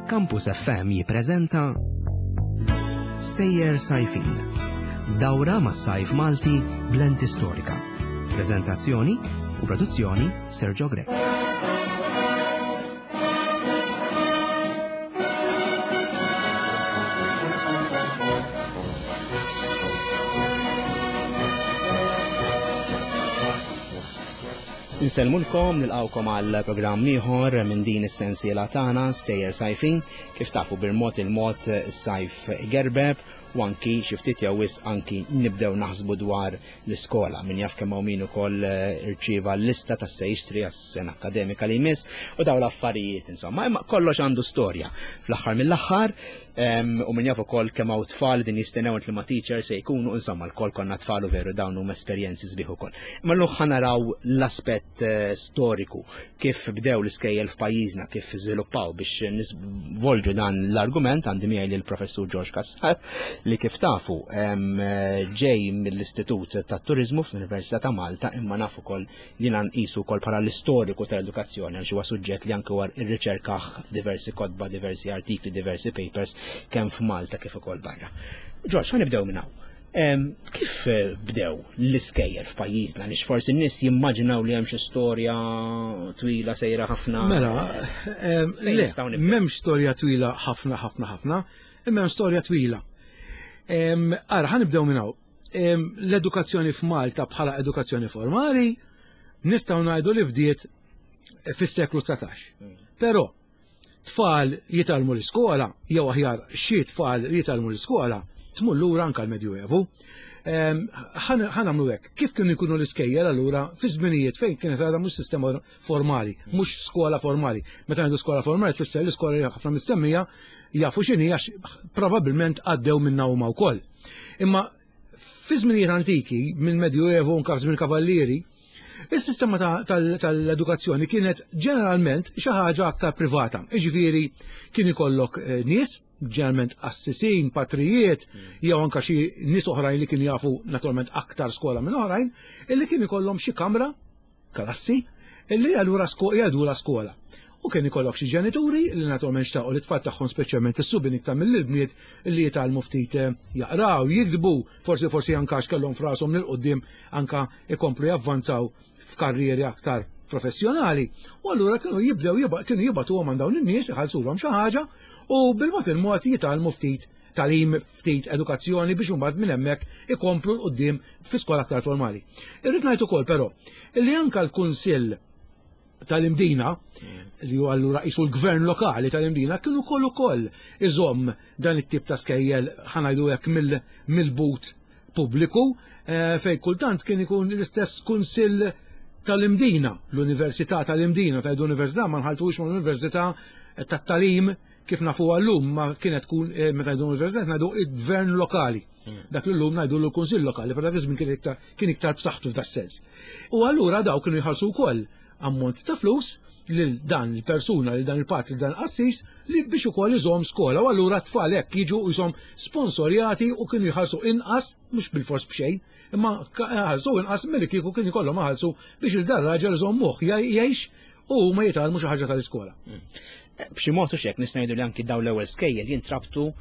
Campus FM jippreżenta Stejjer Sajfin. Dawra mas-sajf Malti b'lenti storika. Preżentazzjoni u produzzjoni Sergio Grech. Insellmulkom, nilqawkom għal programm ieħor minn din is-sensiela tagħna Stejjer Sajfin, kif tafu bil-mod il-mod is-sajf gerbeb u anki xi ftit jew wisq anki nibdew naħsbu dwar l-iskola. Min jaf kemm hawn min ukoll eh, irċieva l-lista ta' se jixtri għas-sena akademika li jmiss u dawn l-affarijiet insomma. Imma kollox għandu storja. Fl-aħħar mill-aħħar u min jaf ukoll kemm hawn tfal din jistennew li ma teacher se jkunu insomma l-kol konna tfal u veru dawn huma esperjenzi sbieħ ukoll. Imma llum ħa naraw l-aspett eh, storiku kif bdew l-iskejjel f'pajjiżna, kif żviluppaw biex nisvolġu dan l-argument għandi miegħi lill-Professur George Cassar li kif tafu ġej mill-Istitut tat-Turiżmu fl-Università ta' Malta imma naf ukoll jiena nqisu wkoll bħala l-istoriku tal-edukazzjoni għaliex huwa suġġett li anke war irriċerkah f'diversi kotba, diversi artikli, diversi papers kemm f'Malta kif ukoll barra. George, ħa nibdew minn hawn. Kif eh, bdew l-iskejjel f'pajjiżna li forsi n-nies jimmaġinaw li hemm xi storja twila sejra ħafna. Mela, le, m'hemmx storja twila ħafna ħafna ħafna, imma hemm storja twila. Ara, ħa nibdew minn hawn. L-edukazzjoni f'Malta bħala edukazzjoni formali nistgħu ngħidu li bdiet fis-seklu 19. Hmm. Però tfal jitgħallmu l-iskola, jew aħjar xi tfal jitgħallmu l-iskola, tmur lura anke l-Medjuevu. Ehm, ħa nagħmlu hekk. Kif kienu jkunu l-iskejjel allura fi żminijiet fejn kienet għadha mhux sistema formali, mhux skola formali. Meta ngħidu skola formali tfisser l-iskola li ħafna mistemmija jafu x'inhi għax probabbilment għaddew minnha huma wkoll. Imma fi żminijiet antiki, minn Medjuevu anke żmien kavallieri, Is-sistema tal-edukazzjoni kienet ġeneralment xi ħaġa aktar privata. Jiġifieri kien ikollok eh, nies, ġeneralment assisin, patrijiet, jew anka xi nies oħrajn li kienu jafu naturalment aktar skola minn oħrajn, illi kien ikollhom xi kamra, klassi, illi allura jgħidula skola. U kien ikollok xi ġenituri li naturalment xtaqu li tfal tagħhom speċjalment is-subien iktar mill-bniet li jitgħallmu ftit eh, jaqraw, jiktbu, forsi forsi anka għax kellhom frashom lil quddiem anka ikomplu javvanzaw f'karrieri aktar professjonali. U allura kienu jibdew kienu jibatuhom għand dawn in-nies iħallsulhom xi ħaġa u bil-mod il-mod jitgħallmu ftit talim ftit edukazzjoni biex imbagħad minn hemmhekk ikomplu l quddiem fi skola aktar formali. Irrid ngħid ukoll però li anke l-Kunsill tal-Imdina, li huwa allura qisu l-gvern lokali tal-Imdina, kienu ukoll ukoll iżomm dan it-tip ta' skejjel ħanajdu hekk mill-but pubbliku eh, fej kultant kien ikun l-istess kunsill tal-Imdina, l-Università tal-Imdina, tajdu università ma nħaltux ma l-Università tat-talim kif nafu għallum ma kienet tkun eh, meta ngħidu università ngħidu il-gvern lokali. Hmm. Dak li llum ngħidu l-kunsill lokali, per dak iż-żmien kien iktar b'saħħtu f'da sens. U allura daw kienu jħallsu wkoll ammont ta' flus lil dan il-persuna, lil dan il-patri, dan il-qassis li biex ukoll iżomm skola u allura t-tfal hekk jiġu jisom sponsorjati u kienu jħallsu inqas, mhux bil-fors b'xejn, imma ħallsu inqas milli kieku kien ikollhom iħallsu biex il dan raġel iżommuh jgħix u huma jitgħallmu xi ħaġa tal-iskola. Hmm. B'xi mod u xek nista' ngħidu li anki dawn l-ewwel skejjel jintrabtu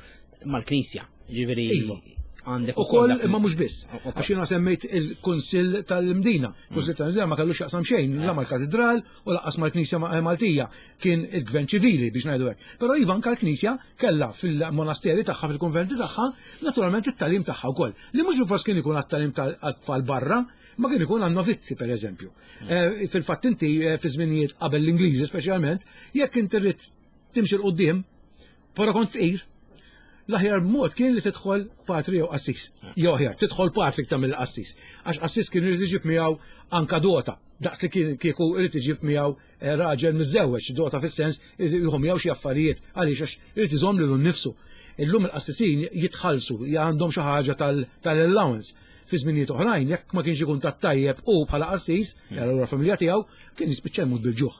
mal-Knisja. Ġifieri iva. Għandek ukoll imma mhux biss. Għax jiena semmejt il-Kunsill tal-Imdina. Mm. Kunsill tal-Imdina ma kellux jaqsam xejn, la mal-Katidral u laqqas mal-Knisja Maltija. Kien il-Gvern ċivili biex ngħidu hekk. Però iva anke l-Knisja kellha fil-monasteri tagħha, fil-kunventi tagħha, naturalment it-talim tagħha wkoll. Li mhux bil kien ikun għat-talim tal-tfal barra, ma kien ikun għan-novizzi per eżempju. Mm. Eh, fil-fatt inti eh, fi żminijiet qabel l-Ingliżi speċjalment, jekk inti rrid timxi l-qudiem, Però kont fqir, l-aħjar mod kien li tidħol patri jew qassis. Jew aħjar, tidħol patri iktar mill-qassis. Għax qassis kien irid iġib miegħu anka dota, daqs li kien kieku irid iġib miegħu eh, raġel miżżewweġ, dota fis-sens jieħu miegħu xi affarijiet għaliex għax irid iżomm lilu nnifsu. Illum il-qassisin jitħallsu, għandhom xi ħaġa tal-allowance. Fi żminijiet oħrajn, jekk ma kienx ikun tat-tajjeb u bħala qassis, allura familja tiegħu, kien jispiċċa jmut bil-ġuħ.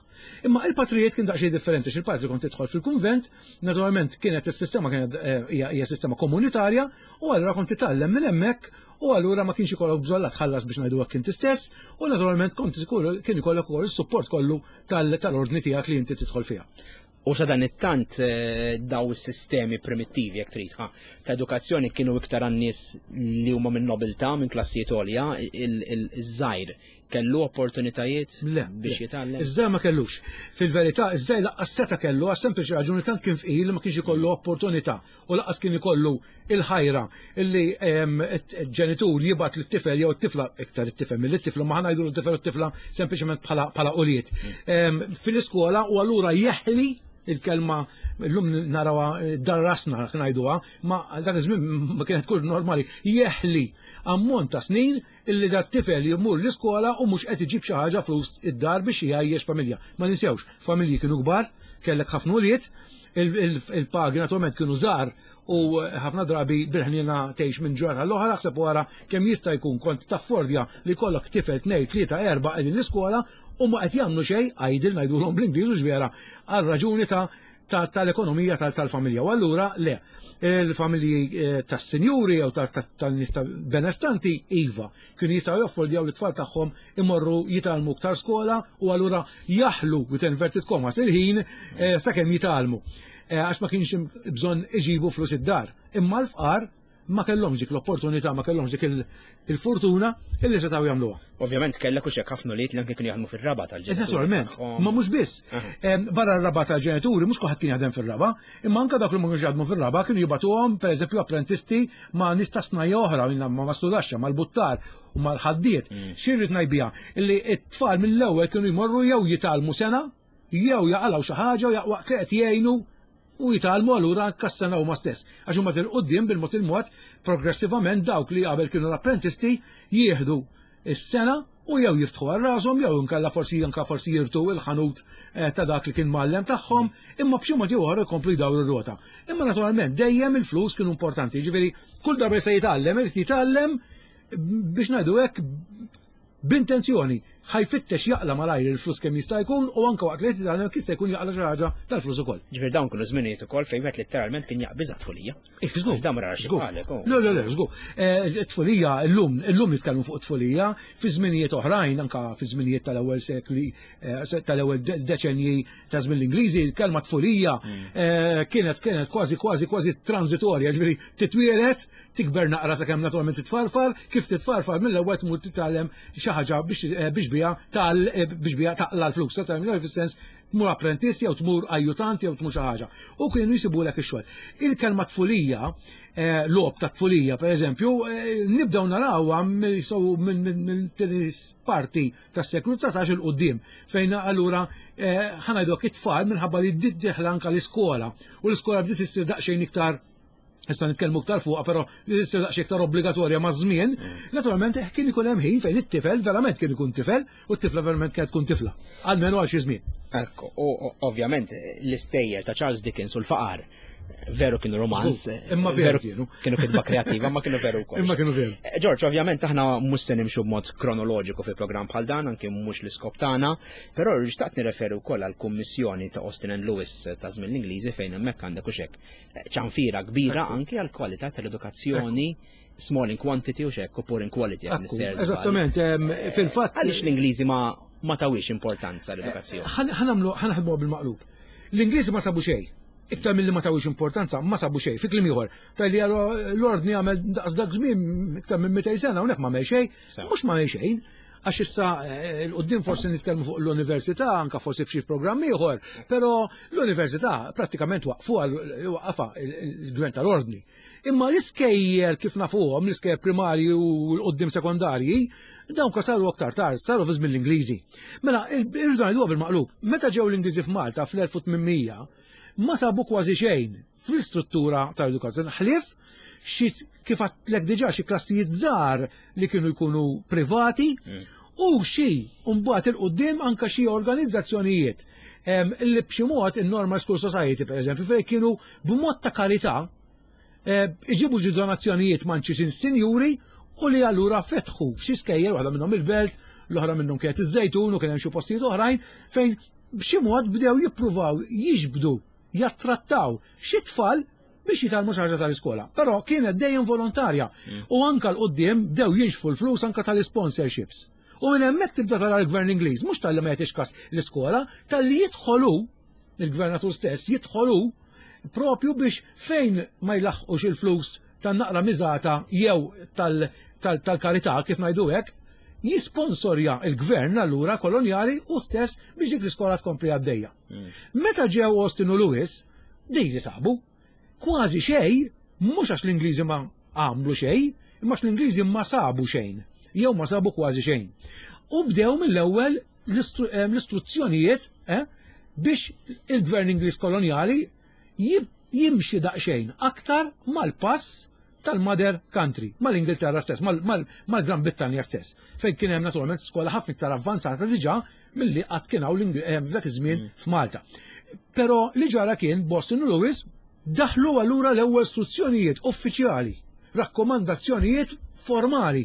Imma il-patrijiet kien daqsxejn differenti, x'il-patri kont tidħol fil-kunvent, naturalment kienet is-sistema kienet eh, hija sistema komunitarja, u allura kont titgħallem minn hemmhekk u allura ma kienx ikollok bżonn la tħallas biex ngħidu hekk inti stess, u naturalment kont kien ikollok ukoll is-support kollu tal-ordni tiegħek li inti tidħol fiha. U sa dan it-tant eh, daw is-sistemi primittivi jekk trid ta' edukazzjoni kienu iktar għan-nies li huma minn nobiltà, minn klassijiet għolja, iż-żgħir kellu opportunitajiet biex jitgħallem? Iż-żgħir ma kellux. Fil-verità, iż-żgħir laqqas seta' kellu għas sempliċi raġuni tant kien fqir li ma kienx ikollu opportunità u laqqas kien ikollu il-ħajra illi ġenitur jibgħat lit-tifel jew it-tifla iktar it-tifel mill-tifla ma ħanajdu l-tifel u t-tifla sempliċement bħala ulied. Fil-iskola u allura jeħli il-kelma llum narawha darrasna ngħiduha, ma dak iż-żmien ma kienet tkun normali, jeħli ammont ta' snin illi dat tifel jmur l-iskola u mhux qed iġib xi ħaġa flus id-dar biex jgħajjex familja. Ma ninsewx, familji kienu kbar, kellek ħafna ulied, il-pagi naturalment kienu żgħar u ħafna drabi bil-ħniena tgħix minn ġurnata l-oħra, ħseb wara kemm jista' jkun kont taffordja li jkollok tifel tnejn, tlieta, erba' qegħdin l-iskola u ma qed jagħmlu xejn, idle ngħidulhom bl-Ingliż u vera, għal raġuni ta' tal-ekonomija tal-familja. U allura le, il-familji eh, tas-sinjuri jew tan-nies benestanti iva, kienu jistgħu jaffordjaw li tfal tagħhom imorru jitgħallmu iktar skola u allura jaħlu with inverted commas il-ħin eh, sakemm jitgħallmu. Eh, għax ma kienx bżonn iġibu flus id-dar. Imma l-fqar ma kellhomx dik l-opportunità, ma kellhomx dik il-fortuna illi setgħu jagħmluha. Ovvjament kellek u xek ħafna li anke kienu jaħdmu fir-raba tal-ġenituri. Eh, naturalment, ma mhux biss. Barra r-raba tal-ġenituri mhux kulħadd kien jaħdem fir-raba, imma anke dawk li ma kienux jaħdmu fir-raba kienu jibatuhom pereżempju apprentisti ma' nies ta' snajja oħra, ma' mastudaxxa, mal-buttar u mal-ħaddied. Mm. Xi rrid ngħid Illi t-tfal mill-ewwel kienu jmorru jew jitgħallmu sena jew jaqalgħu xi ħaġa u waqt li qed jgħinu u jitgħallmu allura anke s-sena huma stess. Għax huma 'il quddiem bil-mod il-mod progressivament dawk li qabel kienu l-apprentisti jieħdu s-sena u jew jiftħu għal rashom jew inkella forsi anke forsi jirtu il-ħanut eh, ta' dak li kien mgħallem tagħhom, imma b'xi mod jew oħra jkomplu jdawru r-rota. Imma naturalment dejjem il-flus kienu importanti, ġifieri kull darba se jitgħallem, irid jitgħallem biex ngħidu hekk b'intenzjoni ħa jfittex jaqla' malajr il-flus kemm jista' jkun u anke waqt li qed jitgħallem jista' jkun jaqla' xi ħaġa tal-flus ukoll. Ġifieri dawn kienu żminijiet ukoll fejn wieħed litteralment kien jaqbiżha tfulija. Eh, żgur. Dan ma rarax bħalek. Oh. Le, le, le, żgur. Eh, tfulija llum, illum nitkellmu fuq tfulija, fi żminijiet oħrajn, anke fi żminijiet tal-ewwel sekli, eh, tal-ewwel deċenji ta' żmien l-Ingliżi, il-kelma tfulija mm. kienet kienet kważi kważi kważi transitorja, ġifieri titwielet Tikber naqra sakemm naturalment titfarfar, kif titfarfar mill-ewwel tmur titgħallem xi ħaġa biex eh, biex biha tal eh, biex biha taqla l-flus, tagħmel fis-sens tmur apprentist jew tmur ajjutant jew tmur xi ħaġa. U kienu jisibulek ix-xogħol. Il-kelma tfulija, eh, logħob ta' tfulija pereżempju, nibdew narawha minn parti tas-seklu 19 il quddiem fejn allura ħanajdok it-tfal minħabba li bdiet dieħla anke l-iskola u l-iskola bdiet issir daqsxejn iktar issa nitkellmu iktar fuqha, però li issir daqsxejn iktar obbligatorja maż-żmien, mm. naturalment eh, kien ikun hemm ħin fejn it-tifel verament kien ikun tifel u t-tifla verament kienet tkun tifla, almenu għal xi żmien. Ekku, u ovvjament l-istejjer ta' Charles Dickens u l-faqar veru kienu romanz. Imma veru kienu. Kienu kitba kreativa, ma kienu veru wkoll. Imma kienu veru. Eh, George, ovvjament aħna mhux se nimxu b'mod kronoloġiku fi programm bħal dan, anke mhux l-iskop tagħna, però xtaqt nirreferu wkoll għall-kummissjoni ta' Austin and Lewis ta' żmien l-Ingliżi fejn hemmhekk għandek u xek ċanfira kbira anke għal kwalità tal-edukazzjoni small in quantity u xekk u poor in quality. Eżattament, fil-fatt. Għaliex l-Ingliżi ma ma tawiex importanza l-edukazzjoni? Eh, ħanamlu ħanaħdmu bil-maqlub. L-Ingliżi ma sabu xejn. Iktar mill-li ma tawiex importanza, ma sabu xejn. Fi kliem ieħor, tal-li l-ordni għamel daqs dak żmien iktar minn 200 sena hawnhekk ma għamel xejn, mhux ma għamel xejn għax issa eh, l-qoddim forsi nitkellmu fuq l-università, anka forsi f'xi programm ieħor, però l-università prattikament waqfu waqafa il-gvern tal-ordni. Imma l-iskejjel kif nafuhom, l-iskejjel primarji u l-qoddim sekondarji, dawn ka saru aktar tard, saru fi żmien l-Ingliżi. Mela, irridu ngħiduha bil-maqlub, meta ġew l-Ingliżi f'Malta fl-1800, ma sabu kważi xejn fl-istruttura tal-edukazzjoni ħlief xi kif għedtlek diġà xi klassijiet żgħar li kienu jkunu privati mm. u xi mbagħad il-qudiem anke xi organizzazzjonijiet li b'xi mod in-Normal School Society pereżempju fejn kienu b'mod ta' karità eh, iġibu ġi donazzjonijiet manċi sinjuri u li allura fetħu xi skejjel waħda minnhom il-belt, l-oħra minnhom kienet iż-Żejtun u kien hemm xi postijiet oħrajn fejn b'xi mod bdew jippruvaw jiġbdu jattrattaw xi tfal biex jitgħallmu xi ħaġa tal-iskola. Però kienet dejjem volontarja mm. u anka l-qudiem bdew jinxfu l-flus anka tal-sponsorships. U minn hemmhekk tibda tara l-gvern Ingliż, mhux talli ma jagħtix kas l-iskola, talli jidħolu il-gvernatur stess jidħol hu propju biex fejn ma jlaħħqux il-flus tan-naqra miżata jew tal-karità kif ngħidu hekk, jisponsorja il-gvern allura kolonjali u stess biex dik l-iskola tkompli għaddejja. Meta ġew Austin u Lewis, din li sabu, kważi xejn, mhux għax l-Ingliżi ma għamlu xejn, imma għax l-Ingliżi ma sabu xejn, jew ma sabu kważi xejn. U bdew mill-ewwel l-istruzzjonijiet biex il-gvern Ingliż kolonjali jimxi daqsxejn aktar mal-pass tal-mother country, mal-Ingilterra stess, mal-Gran Brittanja stess, fejn kien hemm naturalment skola ħafna iktar avvanzata diġà milli qatt kien hawn f'dak iż-żmien f'Malta. Però li ġara kien Boston u Lewis daħlu allura l-ewwel istruzzjonijiet uffiċjali, rakkomandazzjonijiet formali.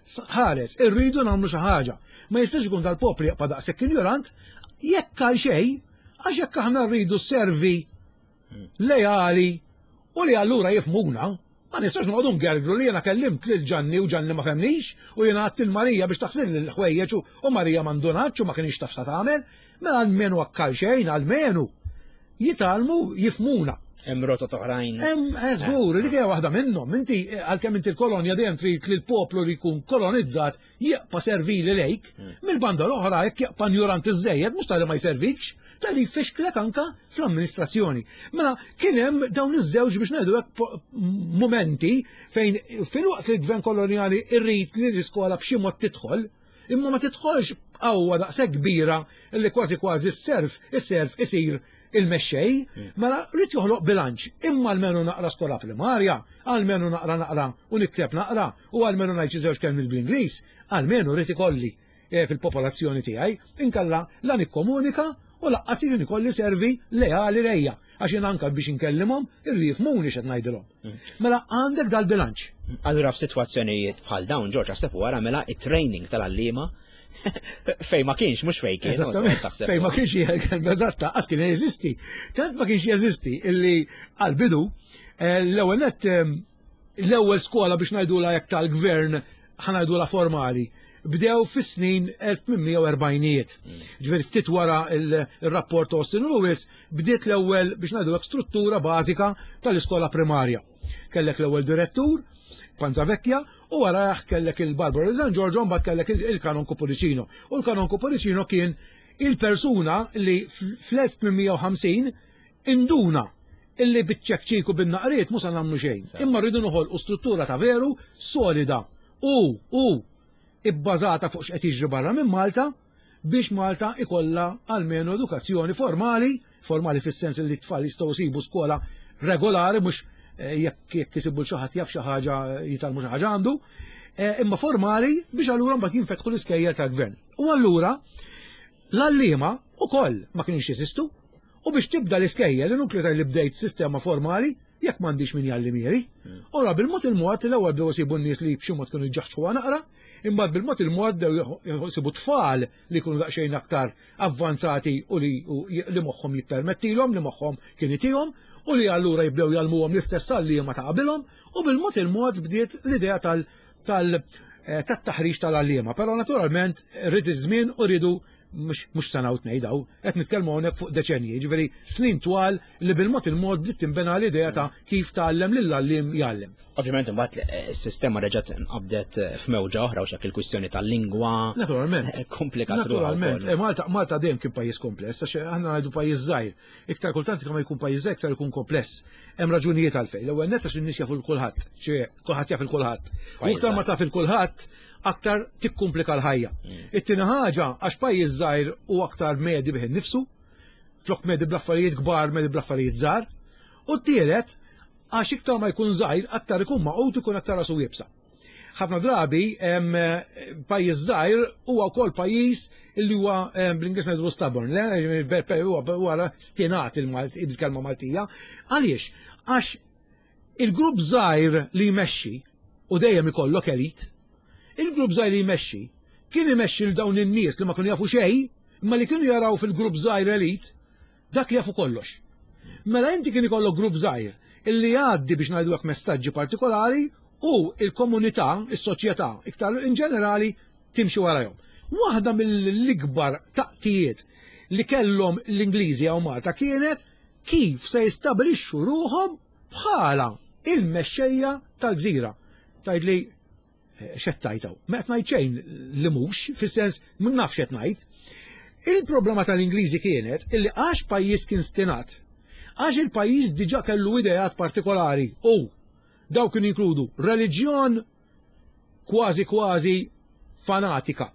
Ħares, irridu nagħmlu xi ħaġa. Ma jistax ikun dal-popli jaqpa' daqshekk injorant jekk għal xejn, għax jekk aħna rridu servi leali u li allura jifhmuna, ma nistax noqogħdu ngergru li jiena kellimt lil Ġanni u Ġanni ma fehmnix u jiena għedt lil Marija biex taħsil l-ħwejjeġ u Marija ma ndunatx u ma kinitx taf sa tagħmel, mela almenu hekk għal xejn, almenu jitgħallmu jifhmuna. Hemm rotot oħrajn. Hemm żgur, dik hija waħda minnhom. Inti għalkemm inti l-kolonja dejjem trid li l-poplu li jkun kolonizzat jibqa' servili lejk, mill-banda l-oħra jekk jibqa' injorant iżżejjed mhux talli ma jservikx, talli jfixklek anka fl-amministrazzjoni. Mela kien hemm dawn iż-żewġ biex ngħidu hekk mumenti fejn filwaqt li l-gvern kolonjali rrid li l-iskola b'xi mod tidħol, imma ma tidħolx b'qawwa daqshekk kbira li kważi kważi s-serf, is-serf isir il-mexxej, mela rrid joħloq bilanċ, imma almenu naqra skola primarja, almenu naqra naqra u nikteb naqra u almenu ngħid xi żewġ kelmiet bl-Ingliż, almenu rrid ikolli fil-popolazzjoni tiegħi, inkella la nikkomunika u laqqas jien ikolli servi leali lejja, għax jien anke biex inkellimhom irridu jifhmuni x'qed ngħidilhom. Mela għandek dal-bilanċ. Allura f'sitwazzjonijiet bħal dawn, Ġorġ, aħseb u ara mela it-training tal-għalliema fejn ma kienx, mhux fejn kien. Eżattament, fejn ma kienx kelma eżatta, qas kien jeżisti. Tant ma kienx jeżisti illi għal-bidu l-ewwel nett l-ewwel skola biex ngħidulha jekk tal-gvern ħa ngħidulha formali bdew fis-snin 1840ijiet. Ġifieri ftit wara il-rapport Austin Lewis bdiet l-ewwel biex ngħidu hekk struttura bażika tal-iskola primarja. Kellek l-ewwel direttur, Panzavecchia, u warajh kellek il-Barbara San Giorgio, mbagħad kellek il-Kanonku Pullicino. U l-Kanonku Pullicino kien il-persuna li fl-1850 induna illi biċ-ċekċik u bin-naqriet mhux se nagħmlu xejn. Imma rridu noħolqu struttura ta' veru solida u ibbażata fuq x'qed jiġri barra minn Malta biex Malta ikollha almenu edukazzjoni formali, formali fis-sens li t-tfal jistgħu jsibu skola regolari mhux jekk jekk isibu xi ħadd jaf xi ħaġa jitgħallmu xi ħaġa għandu, imma formali biex allura mbagħad jinfetħu l-iskejjel tal-gvern. U allura l-għalliema ukoll ma kienx jeżistu u biex tibda l-iskejjel inutli li bdejt sistema formali jekk m'għandix min jgħallimhieli. Ora bil-mod il-mod l-ewwel bdew isibu n-nies li b'xi mod kienu jġaħġħuha naqra, imbagħad bil-mod il-mod bdew isibu tfal li jkunu daqsxejn aktar avvanzati u li li moħħhom jippermettilhom, li moħħhom kien itihom, u li allura jibdew jgħallmuhom l-istess għalliema ta' qabilhom, u bil-mod il-mod bdiet l-idea tal tal tat-taħriġ tal-għalliema. Però naturalment rid iż-żmien u rridu mhux sena u tnejn daw, qed nitkellmu hawnhekk fuq deċenji, jiġifieri snin twal li bil-mod il-mod bdiet tinbena l-idea ta' kif tgħallem lill-għalliem jgħallem. Ovvjament imbagħad is-sistema reġgħet nqabdet f'mewġa oħra u x'hekk il-kwistjoni tal-lingwa. Naturalment. Komplikat Naturalment. Malta Malta dejjem kien pajjiż kompless, għax aħna ngħidu pajjiż żgħir. Iktar kultant kemm jkun pajjiż żgħir iktar ikun kompless. Hemm raġunijiet għalfejn. L-ewwel nett għax in-nies jafu l kulħadd, ċe kulħadd jaf il kulħadd. U iktar ma taf il kulħadd, aktar tikkumplika l-ħajja. It-tieni ħaġa għax pajjiż żgħir u aktar medi bih innifsu, flok medi bl-affarijiet kbar, medi bl-affarijiet żgħar. U t-tielet, għax iktar ma jkun żgħir, aktar ikun maqut ikun aktar rasu iebsa. Ħafna drabi pajjiż żgħir huwa wkoll pajjiż illi huwa bl-Ingliż ngħidu stubborn, le huwa stinat il-kelma Maltija. Għaliex? Għax il-grupp żgħir li jmexxi u dejjem ikollok elit, il-grupp żgħir li jmexxi kien imexxi l dawn in-nies li ma kienu jafu xejn, imma li kienu jaraw fil-grupp żgħir elit dak li jafu kollox. Mela inti kien ikollok grupp żgħir illi jgħaddi biex ngħidu hekk messaġġi partikolari u il-komunità, is-soċjetà, iktar in ġenerali timxi warahom. Waħda mill-ikbar taqtijiet li kellhom l-Ingliżi hawn Malta kienet kif se jistabilixxu ruħhom bħala il-mexxejja tal-gżira. Tgħidli eh, x'qed tgħid hawn? Ma qed ngħid xejn li mhux, fis-sens ma nafx qed ngħid. Il-problema tal-Ingliżi kienet illi għax pajjiż kien stinat, għax il-pajjiż diġà kellu ideat partikolari u dawk kienu jinkludu reliġjon kważi kważi fanatika.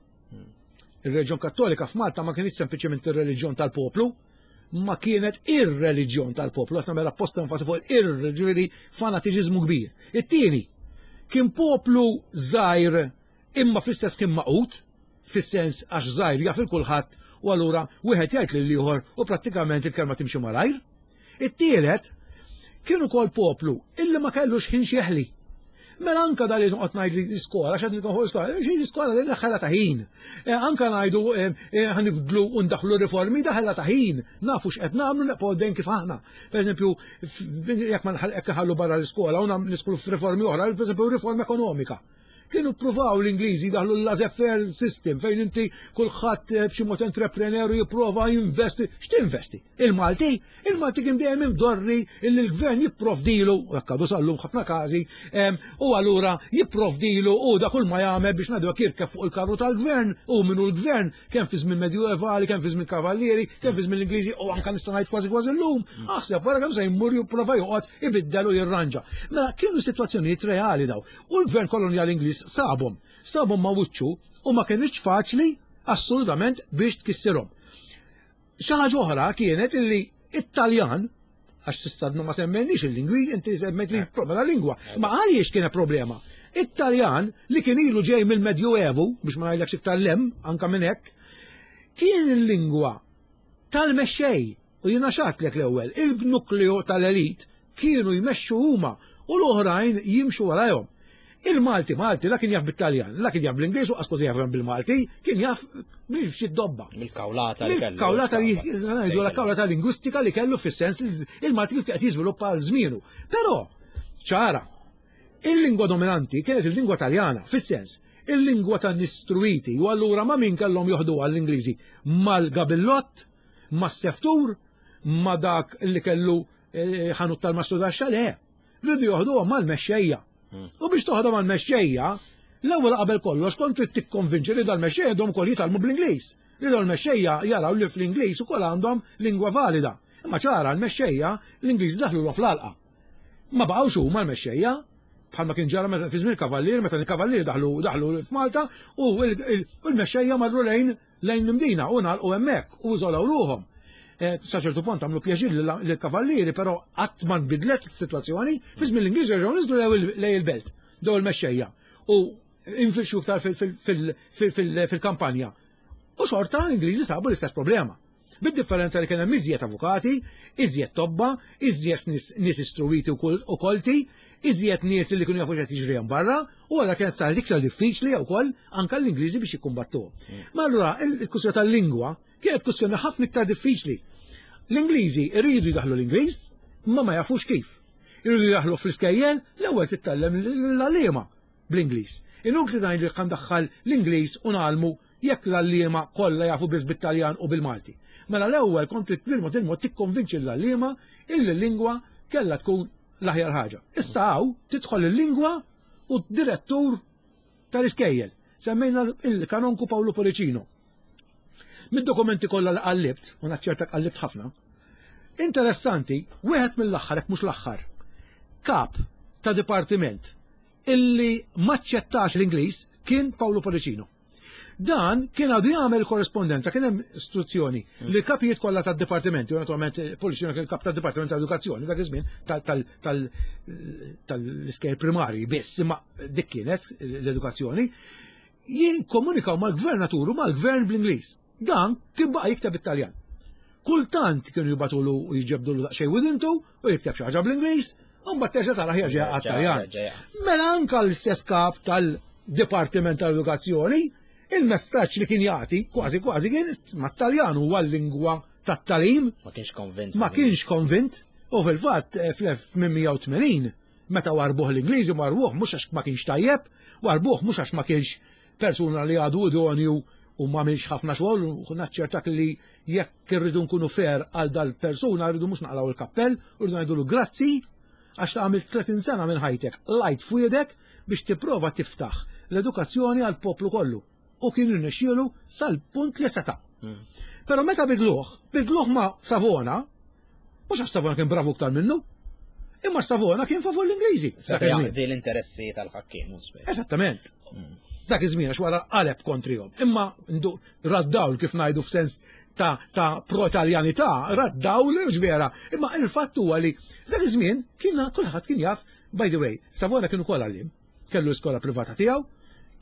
Ir-reliġjon Kattolika f'Malta ma kienx sempliċement ir-reliġjon tal-poplu, ma kienet ir-reliġjon tal-poplu, qed nagħmel apposta enfasi fuq ir ġifieri fanatiċiżmu kbir. It-tieni, kien poplu żgħir imma fl-istess kien maqut, fis-sens għax żgħir jaf il-kulħadd u allura wieħed jgħid lil ieħor u prattikament il-kelma timxi malajr. It-tielet, kien ukoll poplu illi ma kellux ħin xieħli. Mela anka dal li noqgħod ngħid li l-iskola, x'qed nitkoħu l-iskola, xi l-iskola li ħela ta' ħin. Eh, anka ngħidu eh, eh, ħanibdlu u ndaħlu riformi daħla ta' ħin, nafu x'qed nagħmlu neqgħu dejjem kif aħna. Pereżempju, jekk ma nħallu barra l-iskola u nidħlu f'riformi oħra, pereżempju riforma ekonomika. Kienu ppruvaw l-Ingliżi daħlu l-laissez-faire system fejn inti kulħadd eh, b'xi mod entrepreneur jipprova jinvesti. X'tinvesti? Il-Malti? Il-Malti kien dejjem imdorri illi l-gvern jipprovdilu, u hekk għadu sallum ħafna każi, u allura jipprovdilu u da kull ma jagħmel biex ngħidu hekk jirkeb fuq il-karru tal-gvern u minnu l-gvern kemm fi żmien medjuevali, kemm fi żmien kavallieri, kemm fi żmien l-Ingliżi u anke nista' ngħid kważi kważi llum, aħseb wara kemm se jmur jipprova joqgħod ibiddel u jirranġa. Mela kienu sitwazzjonijiet reali daw. U l-gvern kolonjali Ingliż sabhom, sabhom ma' wiċċu u ma kinitx faċli assolutament biex tkissirhom. Xi ħaġa oħra kienet illi it-Taljan għax s'issa ma semmejniex il-lingwi, inti semmejt li eh. problema lingwa. Ma għaliex kienet problema? It-Taljan li kien ilu ġej mill-Medjuevu, biex ma ngħidlekx iktar lem, anka minn hekk, kien il-lingwa tal-mexxej u jiena xatlek l-ewwel, il-nukleo tal-elit kienu jmexxu huma u l-oħrajn jimxu warajhom. Il-Malti Malti la kien jaf bit-Taljan, la kien jaf bl-Ingliż u qas jaf bil-Malti, kien jaf b'xi dobba. Mill-kawlata li kellu. Kawlata li ngħidu la kawlata lingwistika li kellu fis-sens li il-Malti kif qed jiżviluppa għal żmienu. Però ċara, il-lingwa dominanti kienet il-lingwa Taljana, fis-sens il-lingwa tan nistruiti u allura ma' min kellhom joħdu għall-Ingliżi mal-gabillott, mas-seftur, ma' dak li kellu eh, ħanut tal-mastru taxxa le. Rridu joħduhom mal-mexxejja. Hmm. U biex toħodhom mal-mexxejja, l-ewwel qabel kollox kont trid tikkonvinċi li dal-mexxejja għandhom ukoll jitgħallmu bl-Ingliż. Li dal-mexxejja jaraw li fl-Ingliż ukoll għandhom lingwa valida. Imma ċara l-mexxejja l-Ingliż daħlu fl-għalqa. Ma baqgħux huma l-mexxejja, bħalma kien ġara meta fi żmien kavallier meta l-kavallier daħlu daħlu f'Malta u l-mexxejja marru lejn lejn l-Imdina u ngħalqu hemmhekk u iżolaw ruħhom. Eh, sa ċertu punt għamlu pjaċir lill-kavallieri, però qatt ma nbidlet is-sitwazzjoni, fi żmien l-Ingliżi reġgħu niżlu lejn il-belt, daw il-mexxejja u infirxu iktar fil-kampanja. U xorta l-Ingliżi sabu l-istess problema. Bid-differenza li kien hemm iżjed avukati, iżjed tobba, iżjed nies istruwiti u kolti, iżjed nies li kienu jafu x'qed jiġri hemm barra, u għalla kienet saret iktar diffiċli wkoll anke l-Ingliżi biex jikkumbattuhom. Mm. Ma allura il-kwistjoni tal-lingwa kienet kwistjoni ħafna iktar diffiċli. L-Ingliżi iridu jdaħlu l-Ingliż, ma ma jafux kif. Iridu jdaħlu fl-iskejjel, l-ewwel titgħallem l-għalliema bl-Ingliż. Inutli ngħid li daħħal l-Ingliż u nagħlmu jekk l-għalliema kollha jafu biss bit-Taljan u bil-Malti. Mela l-ewwel kont trid bil-mod il-mod tikkonvinċi l-għalliema illi l-lingwa kellha tkun l-aħjar ħaġa. Issa hawn tidħol il-lingwa u d-direttur tal-iskejjel. Semmejna il-kanonku Paolo Policino. Mid-dokumenti kollha li qallibt, u naċċerta qallibt ħafna, interessanti, wieħed mill-aħħar, jekk mhux l-aħħar, kap ta' dipartiment illi maċċettax l-Ingliż kien Paolo Policino. Dan kien għadu jagħmel korrespondenza, kien hemm istruzzjoni mm. li kapijiet kollha tad-dipartimenti, u naturalment eh, Policino kien kap tad-Dipartiment tal-Edukazzjoni dak iż-żmien tal-iskejl primarji biss, imma dik kienet l-edukazzjoni, jikkomunikaw mal-gvernatur u mal-gvern bl-Ingliż. Dan kien baqa' jikteb it-Taljan. Kultant kienu jibatulu u jġebdulu daqsxejn widintu u jikteb xi ħaġa bl-Ingliż, u mbagħad terġa' tara ħjerġa' għat-Taljan. Mela anka l-istess kap tal-Dipartiment tal-Edukazzjoni, il-messaġġ li kien jagħti kważi kważi kien mat-Taljan huwa l-lingwa tat-talim. Ma kienx konvint. Ma kienx konvint. U fil-fatt eh, fl-1880 meta warbuh l-Ingliżi warbuh mhux għax ma kienx tajjeb, warbuh mhux għax ma kienx persuna li għadu idonju u ma għamilx ħafna xogħol u naċċertak li jekk irridu nkunu fair għal dal-persuna rridu mhux naqlaw il-kappell u rridu ngħidulu grazzi għax ta' għamilt 30 sena minn ħajtek lajt fwiedek biex tipprova tiftaħ l-edukazzjoni għal poplu kollu u kien irnexxielu sal-punt li seta'. Però meta bidluh, bidluh ma' Savona, mhux għax Savona kien bravu iktar minnu, imma Savona kien favur l-Ingliżi. Dak iż-żmien. l-interessi tal-ħakkiem. Eżattament. Dak iż-żmien għax wara qaleb kontrihom. Imma raddawl kif ngħidu f'sens ta', ta pro-Taljanità, raddawl vera. Imma il-fatt huwa li dak iż-żmien kien kulħadd kien jaf, by the way, Savona kien ukoll għallim. Kellu l-iskola privata tiegħu,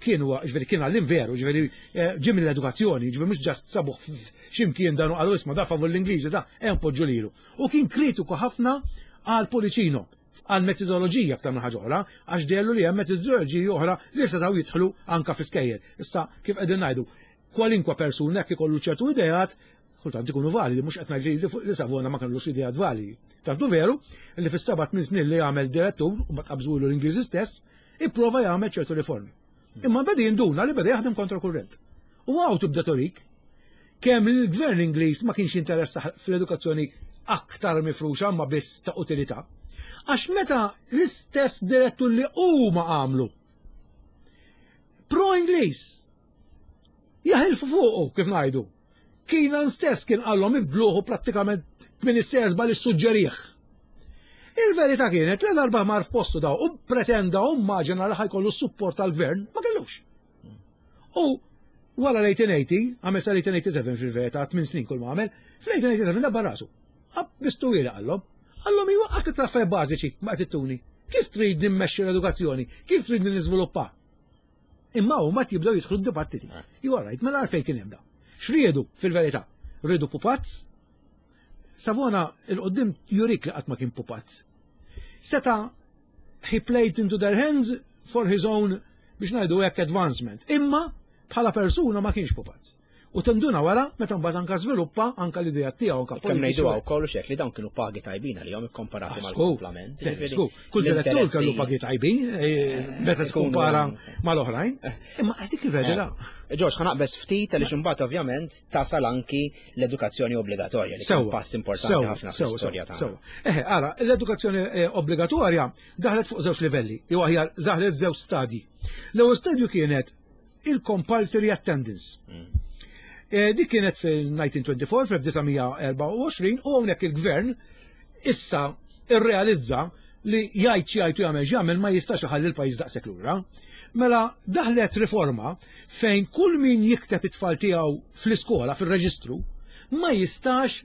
kien huwa ġifieri kien għallim veru, ġifieri eh, ġie mill-edukazzjoni, ġifieri mhux ġast sabuh x'imkien dan u qalu isma' da favur l-Ingliżi da hemm poġġu lilu. U kien kritiku ħafna għal Policino għal metodoloġija aktar minn ħaġa oħra, għax dellu li hemm metodoloġiji oħra li setgħu jidħlu anka fi skejjel. Issa kif qegħdin ngħidu, kwalinkwa persuna jekk ikollu ċertu ideat, kultant ikunu validi, mhux qed ngħid li Savona ma kellux ideat validi. Tantu veru li fis-seba' tmien snin li għamel direttur u ma tqabżulu l-Ingliżi stess, ipprova jagħmel ċertu riformi. Imma beda jinduna li beda jaħdem kontra kurrent. U għaw tibda torik kemm il-gvern Ingliż ma kienx interessa fl-edukazzjoni aktar mifruxa ma biss ta' utilità. Għax meta l-istess direttur li huma għamlu pro-Ingliż jaħilfu fuqu kif ngħidu. Keenan stess kien qallhom ibdluh u prattikament minister żball issuġġerih. Il-verità kienet li darba mar f'postu daw u pretenda u immaġina li ħajkollu s-support tal-gvern, ma kellux. U wara l-1880, għamel sa l-1887 fil-verità, 8 snin kull ma għamel, fl-1887 dabbar rasu. Bistu wiela qallhom. Qallhom iwa qas li traffaj bażiċi ma qed ittuni. Kif trid nimmexxi l-edukazzjoni? Kif trid niżviluppa? Imma huma jibdew jidħlu d-dibattiti. Eh. You are right, mela għalfejn kien hemm da. X'riedu fil-verità? Riedu pupazz? Savona il-qoddim jurik li qatt ma kien pupazz. Seta he played into their hands for his own biex ngħidu hekk advancement. Imma bħala persuna ma kienx pupazz. U tinduna wara meta mbagħad anka żviluppa anka l-idea tiegħu anka Kemm ngħidu wkoll xek li dawn kienu pagi tajbin għalihom ikkomparati ah, mal-kumplament. Kull direttur kellu pagi tajbin eh, eh, meta tkumpara mal-oħrajn. Eh. Imma dik il-verità. Ġorġ, ħa naqbeż ftit għaliex imbagħad ovvjament tasal anki l-edukazzjoni obbligatorja li kien pass importanti ħafna fl-istorja tagħna. Eħe, ara, l-edukazzjoni obbligatorja daħlet fuq żewġ livelli, jew aħjar daħlet żewġ stadji. L-ewwel stadju kienet il-compulsory attendance. Mm. Eh, dik kienet fil-1924, fl-1924, u hawnhekk il-gvern issa irrealizza li jgħid xi jgħid u jagħmel x'jagħmel ma jistax iħalli l-pajjiż daqshekk lura. Mela daħlet riforma fejn kull min jikteb it-tfal tiegħu fl-iskola fir-reġistru ma jistax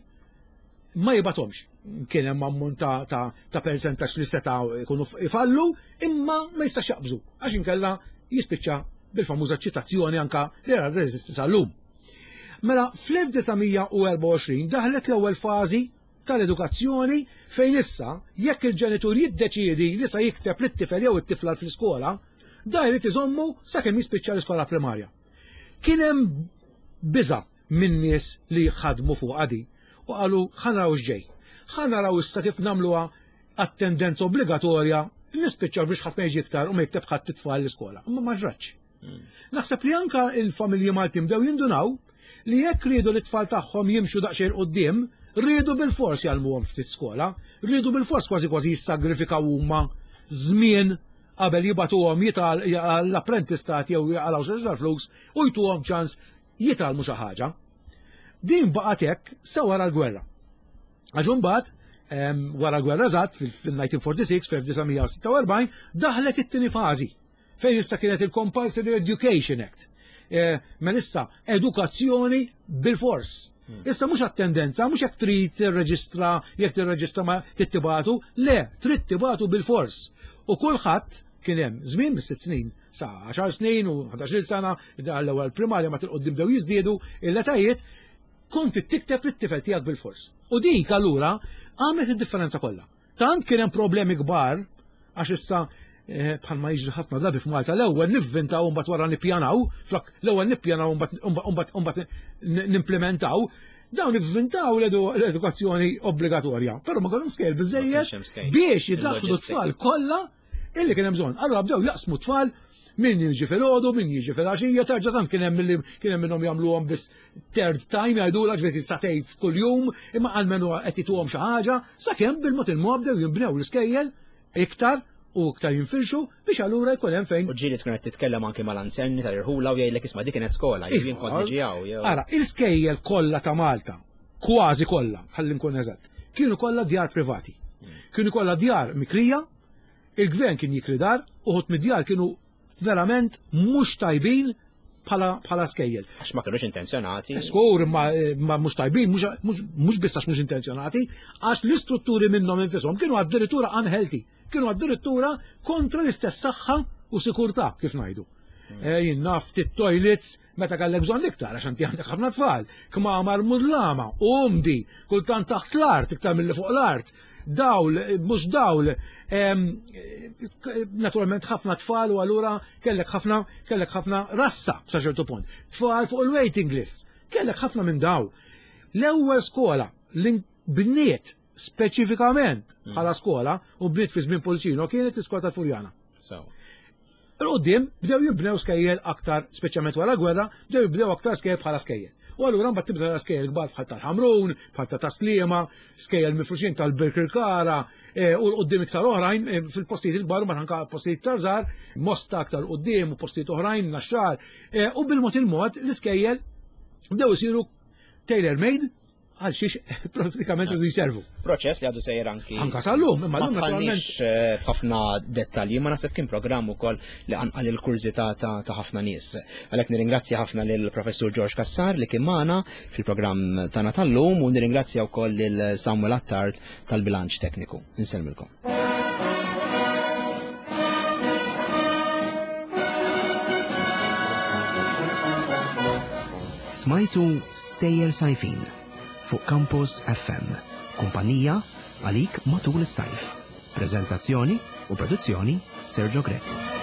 ma jibatomx. Kien hemm ammont ta', ta, ta persentaġġ li setgħu jkunu ifallu, imma ma jistax jaqbżu għax inkella jispiċċa bil-famuża ċitazzjoni anka li ra reżisti sal-lum. Mela fl-1924 daħlet l-ewwel fażi tal-edukazzjoni fejn issa jekk il-ġenitur jiddeċiedi li sa jikteb lit-tifel jew it-tifla fl-iskola, da jrid iżommu sakemm jispiċċa l-iskola primarja. Kien hemm biża' minn nies li ħadmu fuqha di u qalu ħa naraw x'ġej. Ħa naraw issa kif nagħmluha attendenza obbligatorja nispiċċaw biex ħadd ma jiġi iktar u ma jikteb ħadd it-tfal l-iskola. Imma ma ġratx. Hmm. Naħseb li anka il-familji Maltin bdew jindunaw li jekk riedu li t-tfal tagħhom jimxu daqsxejn quddiem, riedu bil-fors jgħallmuhom ftit skola, riedu bil-fors kważi kważi jissagrifikaw huma żmien qabel jibatuhom jital l-apprentistat jew jaqalgħu xi flus u jtuhom ċans jitgħallmu xi ħaġa. Din baqgħet hekk sa wara l-gwerra. Għax imbagħad wara l-gwerra eżatt fil-1946 fl-1946 daħlet it-tieni fażi fejn issa kienet il-Compulsory Education Act. E, mela issa edukazzjoni bil-fors. Hmm. Issa mhux attendenza, mhux jekk trid tirreġistra, jekk tirreġistra ma tittibatu, le, trid tibatu bil-fors. U kulħadd kien hemm żmien bis-sitt snin sa 10 snin u 11 sena, l-ewwel primarja ma tilqoddim bdew jiżdiedu l-etajiet, kont tikteb lit-tifel tiegħek bil-fors. U dik allura għamlet id-differenza kollha. Tant kien hemm problemi kbar għax issa eh, bħalma jiġri ħafna drabi f'Malta l-ewwel nivvintaw mbagħad wara nippjanaw, flok l-ewwel nippjanaw mbagħad nimplementaw, dawn ivvintaw l-edukazzjoni obbligatorja, però ma kellhom skejl biżejjed biex jidaħħlu t-tfal kollha illi kien hemm bżonn. Allura bdew jaqsmu tfal Min jiġi filgħodu, min jiġi filgħaxija, terġa' tant kien hemm li kien hemm minnhom jagħmluhom biss third time jgħidulha ġifieri satej f'kuljum, imma almenu qed jituhom xi ħaġa, sakemm bil-mod il-mod bdew jinbnew l-iskejjel iktar u iktar jinfirxu biex allura jkun hemm fejn. U ġieli tkun qed titkellem anke mal-anzerni tal-irħula u jgħidlek isma' dik kienet skola, iva. jien kont niġi hawn. Ara, il-skejjel kollha ta' Malta, kważi kollha, ħalli nkun eżatt, kienu kollha djar privati. Kienu kollha djar mikrija, il-gvern kien jikri dar, uħud mid-djar kienu verament mhux tajbin bħala skejjel. Għax ma kinux intenzjonati. Skur, ma, ma mhux tajbin, mhux biss għax mhux intenzjonati, għax l-istrutturi minnhom infisom kienu addirittura unhealthy, kienu addirittura kontra l-istess saħħa u sikurtà kif ngħidu. Hmm. Eh, jien naf toilets meta kellek bżonn iktar għax inti għandek ħafna tfal, kmamar mudlama, umdi, kultant taħt l-art iktar milli fuq l-art dawl, mhux dawl, naturalment ħafna tfal u allura kellek ħafna kellek ħafna rassa sa ċertu punt. Tfal fuq il-waiting list, kellek ħafna minn daw. L-ewwel skola li bniet speċifikament bħala skola u bniet fi żmien Pulcino kienet l-iskola tal-Furjana. Il-qoddim bdew jibnew skejjel aktar, speċjalment wara gwerra, bdew jibnew aktar skejjel bħala skejjel. U allura mbagħad tibda skejjel kbar bħal tal-Ħamrun, bħal ta' Tasliema, skejjel mifruxin tal-Birkirkara, e, u l-qoddim iktar oħrajn e, fil-postijiet il-kbar u anka postijiet iktar żgħar, Mosta aktar qudiem u postijiet oħrajn, Naxxar, e, u bil-mod il-mod l-iskejjel bdew isiru tailor-made għal xiex pratikament rridu jservu. Proċess li għadu sejjer anki. Anka sal-lum, imma l-lum naturalment. Eh, f'ħafna dettalji, ma naħseb kien programm ukoll li qanqal il-kurżità ta' ħafna nies. Għalhekk nirringrazzja ħafna lil Professur George Kassar li kien magħna fil-programm tagħna tal-lum u nirringrazzja wkoll lil Samuel Attard tal-bilanċ tekniku. Insellmilkom. Smajtu Stejjer Sajfin fuq Campus FM, kumpanija għalik matul is-sajf. Prezentazzjoni u produzzjoni Sergio Grech.